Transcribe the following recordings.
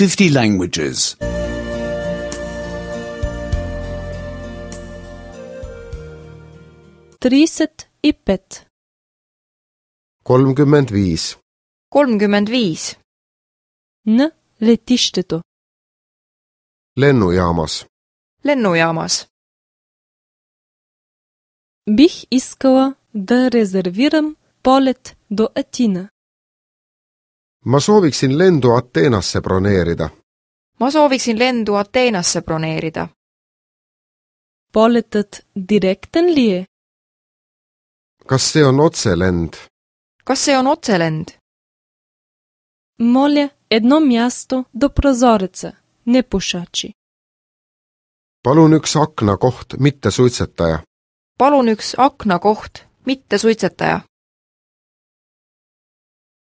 50 languages. 35. 35. 35. На летището. Lennujaamas. Lennujaamas. Бих искала да резервирам полет до Атина. Ma sooviksin lendu Ateenasse broneerida. Ma sooviksin lendu Ateenasse broneerida. Полетът директен ли е? Kas see on otselend? Kas see on otselend? Моля, едно място до прозореца, не пушачи. Palun üks aknakoht, mitte suitsetaja. Palun üks aknakoht, mitte suitsetaja.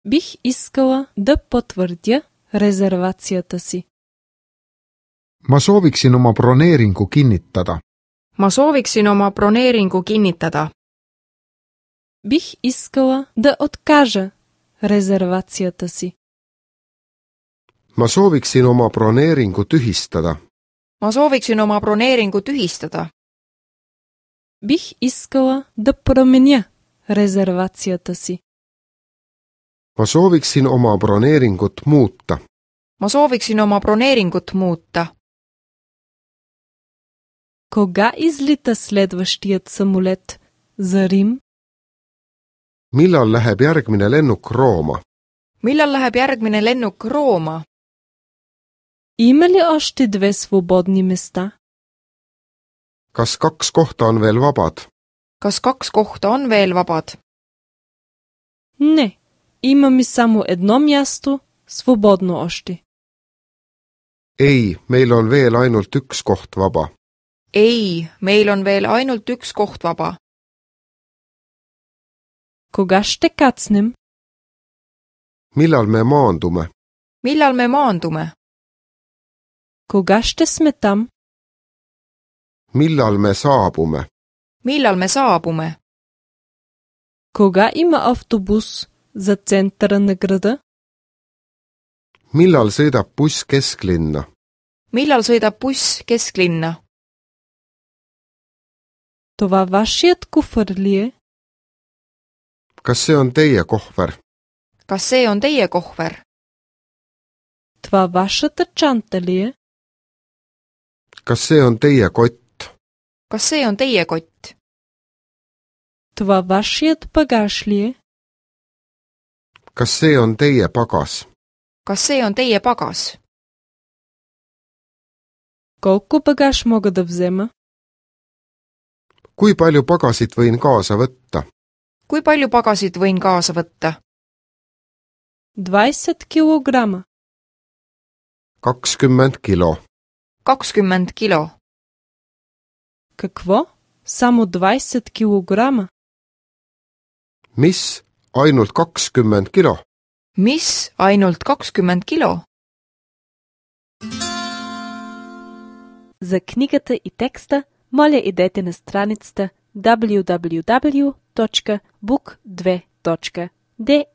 Бих искала да потвърдя резервацията си. Ma sooviksin oma broneeringu kinnitada. Ma sooviksin oma broneeringu kinnitada. Бих искала да откажа резервацията си. Ma sooviksin oma broneeringu tühistada. Ma sooviksin oma broneeringu tühistada. Бих искала да променя резервацията си. Ma sooviksin oma broneeringut muuta. Ma sooviksin oma broneeringut muuta. Кога излита следващият самолет за Рим? Millal läheb järgmine lennuk Rooma? Millal läheb järgmine lennuk Rooma? Има ли още 2 свободни места? Kas 2 kohta on veel vabad? Kas 2 kohta on veel vabad? Не, имаме само едно място свободно още. Ei, meil on veel ainult üks koht vaba. Ei, meil on veel ainult üks koht vaba. Кога ще кацнем? Millal me maandume? Millal me maandume? Кога ще сме там? Millal me saabume? Millal me saabume? Кога има автобус за центъра на града? Millal sõidab buss kesklinna? Millal sõidab buss kesklinna? Това вашият куфър ли е? Kas see on teie kohver? Kas see on teie kohver? Това вашата чанта ли е? Kas see on teie kott? Kas see on teie kott? Това вашият багаж ли е? Kas see on teie pagas? Kas see on teie pagas? Колко багаж мога да взема? Kui palju pagasit võin kaasa võtta? Kui palju pagasit võin kaasa võtta? 20 килограма. 20 kilo. 20 kilo. Какво? Само 20 килограма? Mis? Ainult 20 kilo? Mis? Ainult 20 kilo? За книгата и текста моля идете на страницата www.book2.de